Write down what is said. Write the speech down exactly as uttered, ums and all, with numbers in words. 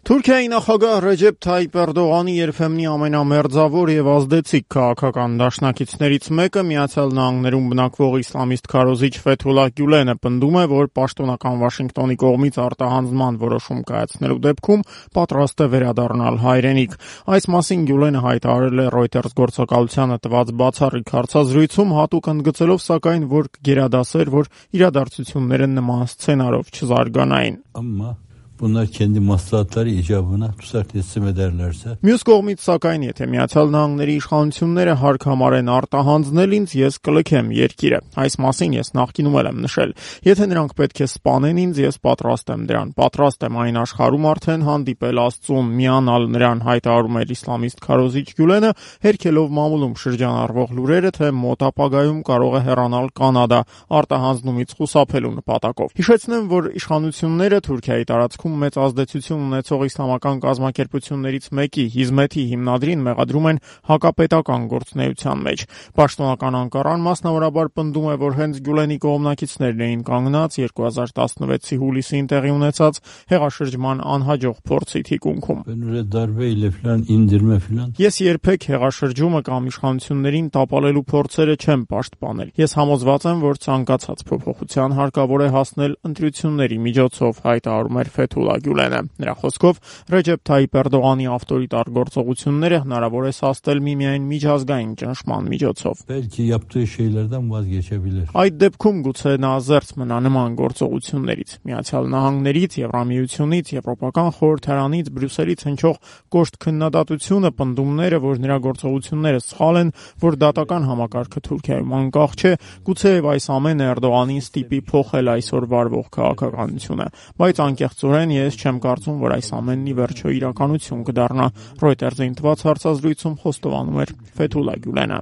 Թուրքիայի նախագահ Ռեջեփ Թայիփ Էրդողանի երբեմնի ամենամերձավոր եւ ազդեցիկ քաղաքական դաշնակիցներից մեկը Միացյալ Նահանգներում բնակվող իսլամիստ քարոզիչ Ֆեթուլլահ Գյուլենը պնդում է, որ պաշտոնական Վաշինգտոնի կողմից արտահանձնման որոշում կայացնելու դեպքում պատրաստ է վերադառնալ հայրենիք։ Այս մասին Գյուլենը հայտարարել է Reuters գործակալությանը տված բացառիկ հարցազրույցում, հատուկ ընդգծելով սակայն, որ կգերադասեր, որ իրադարձությունները նման սցենարով չզարգանային։ Amma bunlar kendi maslahatları icabına tutsak teslim ederlerse. Մյուս կողմից սակայն եթե Միացյալ Նահանգների իշխանությունները հարկ համարեն արտահանձնել ինձ, ես կլքեմ երկիրը։ Այս մասին ես նախկինում եմ նշել։ Եթե նրանք պետք է սպանեն ինձ, ես պատրաստ եմ դրան։ Պատրաստ եմ այն աշխարհում արդեն հանդիպել Աստծուն, միանալ նրան, հայտարարում էր իսլամիստ քարոզիչ Գյուլենը, հերքելով մամուլում շրջանառվող լուրերը, թե մոտ ապագայում կարող է հեռանալ Կանադա արտահանձնումից խուսափելու նպատակով։ Հիշեցնեմ, որ իշխանությունները Թուրքիայի տարածքում մեծ ազդեցություն ունեցող իսլամական կազմակերպություններից մեկի Հիզմեթի հիմնադրին մեղադրում են հակապետական գործունեության մեջ։ Պաշտոնական Անկարան մասնավորաբար պնդում է, որ հենց Գյուլենի կողմնակիցներն էին կանգնած երկու հազար տասնվեցի հուլիսին տեղի ունեցած հեղաշրջման անհաջող փորձի թիկունքում։ Ես երբեք հեղաշրջումը կամ իշխանություններին տապալելու փորձերը չեմ պաշտպանել։ Ես համոզված եմ, որ ցանկացած փոփոխության հարկավոր է հասնել ընտրությունների միջոցով, հայտարարում էր Ֆեթուլլահ Գյուլենը։ Նրա խոսքով Ռեջեփ Թայիփ Էրդողանի ավտորիտար գործողությունները հնարավոր է սաստել միմիայն միջազգային ճնշման միջոցով։ Այդ դեպքում գուցե նա զերծ մնա նման գործողություններից։ Միացյալ Նահանգներից, Եվրամիությունից, Եվրոպական խորհրդարանից, Բրյուսելից հնչող կոշտ քննադատությունը, պնդումները, որ նրա գործողությունները սխալ են, որ դատական համակարգը Թուրքիայում անկախ չէ, գուցեև այս ամենը Էրդողանին ստիպի փոխել այսօր վարվող քաղաքականությունը, բայց անկեղծորեն ես չեմ կարծում, որ այս ամենն ի վերջո իրականություն կդառնա։ Reuters-ին տված հարցազրույցում խոստովանում էր Ֆեթուլլահ Գյուլենը։